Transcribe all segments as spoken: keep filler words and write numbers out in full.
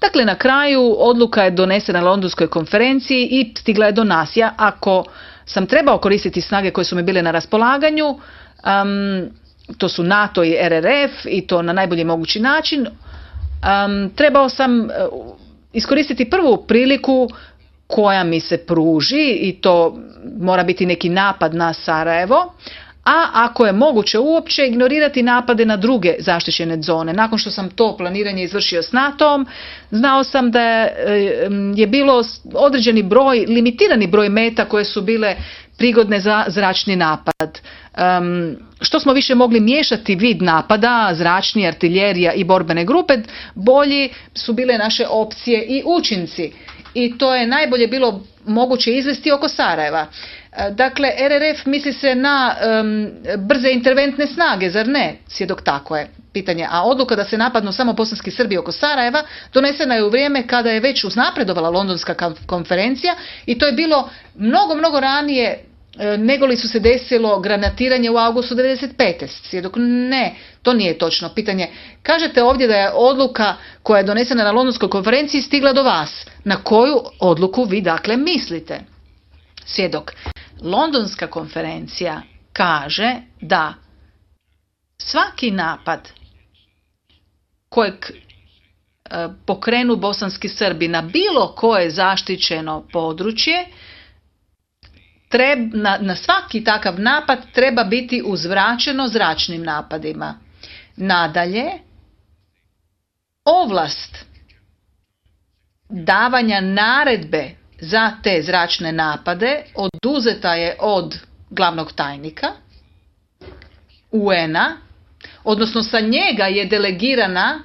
Dakle, na kraju odluka je donesena na Londonskoj konferenciji i stigla je do nas. Ja, ako sam trebao koristiti snage koje su mi bile na raspolaganju, um, to su NATO i R R F, i to na najbolji mogući način, um, trebao sam uh, iskoristiti prvu priliku koja mi se pruži, i to mora biti neki napad na Sarajevo, a ako je moguće uopće ignorirati napade na druge zaštićene zone. Nakon što sam to planiranje izvršio s NATO-om, znao sam da je bilo određeni broj, limitirani broj meta koje su bile prigodne za zračni napad. Um, što smo više mogli miješati vid napada, zračni, artiljerija i borbene grupe, bolji su bile naše opcije i učinci. I to je najbolje bilo moguće izvesti oko Sarajeva. Dakle, R R F misli se na um, brze interventne snage, zar ne? Svjedok, tako je. Pitanje. A odluka da se napadnu samo bosanski Srbi oko Sarajeva donesena je u vrijeme kada je već uznapredovala Londonska konferencija, i to je bilo mnogo, mnogo ranije nego li su se desilo granatiranje u augustu devedeset pete. Svjedok, ne, to nije točno. Pitanje, kažete ovdje da je odluka koja je donesena na Londonskoj konferenciji stigla do vas. Na koju odluku vi dakle mislite? Svjedok, Londonska konferencija kaže da svaki napad kojeg e, pokrenu bosanski Srbi na bilo koje zaštićeno područje, Treb, na, na svaki takav napad treba biti uzvraćeno zračnim napadima. Nadalje, ovlast davanja naredbe za te zračne napade oduzeta je od glavnog tajnika U N-a, odnosno sa njega je delegirana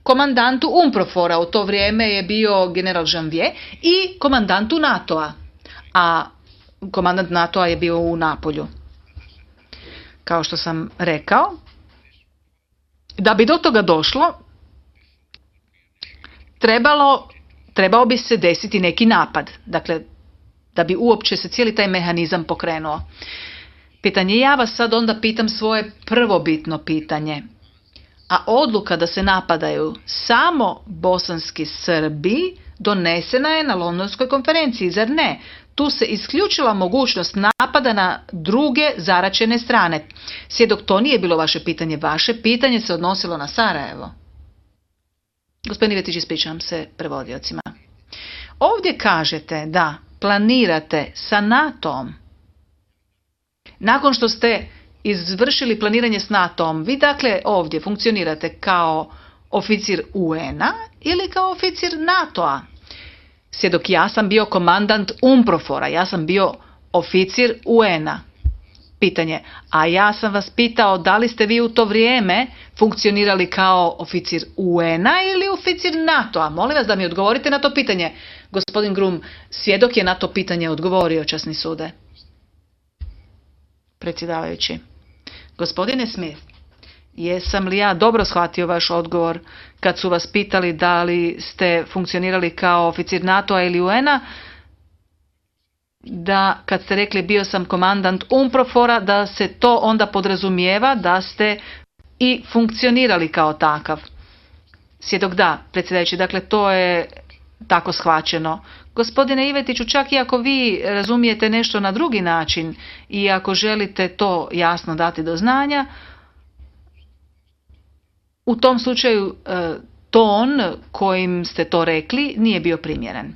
komandantu UNPROFOR-a, u to vrijeme je bio general Janvier, i komandantu NATO-a. A komandant NATO-a je bio u Napolju. Kao što sam rekao, da bi do toga došlo, trebalo, trebao bi se desiti neki napad. Dakle, da bi uopće se cijeli taj mehanizam pokrenuo. Pitanje, ja vas sad onda pitam svoje prvobitno pitanje. A odluka da se napadaju samo bosanski Srbi donesena je na Londonskoj konferenciji, zar ne? Tu se isključila mogućnost napada na druge zaraćene strane. Svjedok, to nije bilo vaše pitanje. Vaše pitanje se odnosilo na Sarajevo. Gospodin Ivetić, ispričavam se prevodiocima. Ovdje kažete da planirate sa NATO-om. Nakon što ste izvršili planiranje s NATO-om, vi dakle ovdje funkcionirate kao oficir U N-a ili kao oficir NATO-a? Svjedok, ja sam bio komandant UNPROFOR-a, ja sam bio oficir U N-a. Pitanje, a ja sam vas pitao da li ste vi u to vrijeme funkcionirali kao oficir U N-a ili oficir NATO-a? Molim vas da mi odgovorite na to pitanje. Gospodin Grum, svjedok je na to pitanje odgovorio, časni sude. Predsjedavajući. Gospodine Smith, jesam li ja dobro shvatio vaš odgovor kad su vas pitali da li ste funkcionirali kao oficir NATO-a ili U N-a? Da kad ste rekli bio sam komandant UNPROFOR-a, da se to onda podrazumijeva da ste i funkcionirali kao takav. Svjedok, da, predsjedajući, dakle to je tako shvaćeno. Gospodine Ivetiću, čak i ako vi razumijete nešto na drugi način i ako želite to jasno dati do znanja, u tom slučaju ton kojim ste to rekli nije bio primjeren.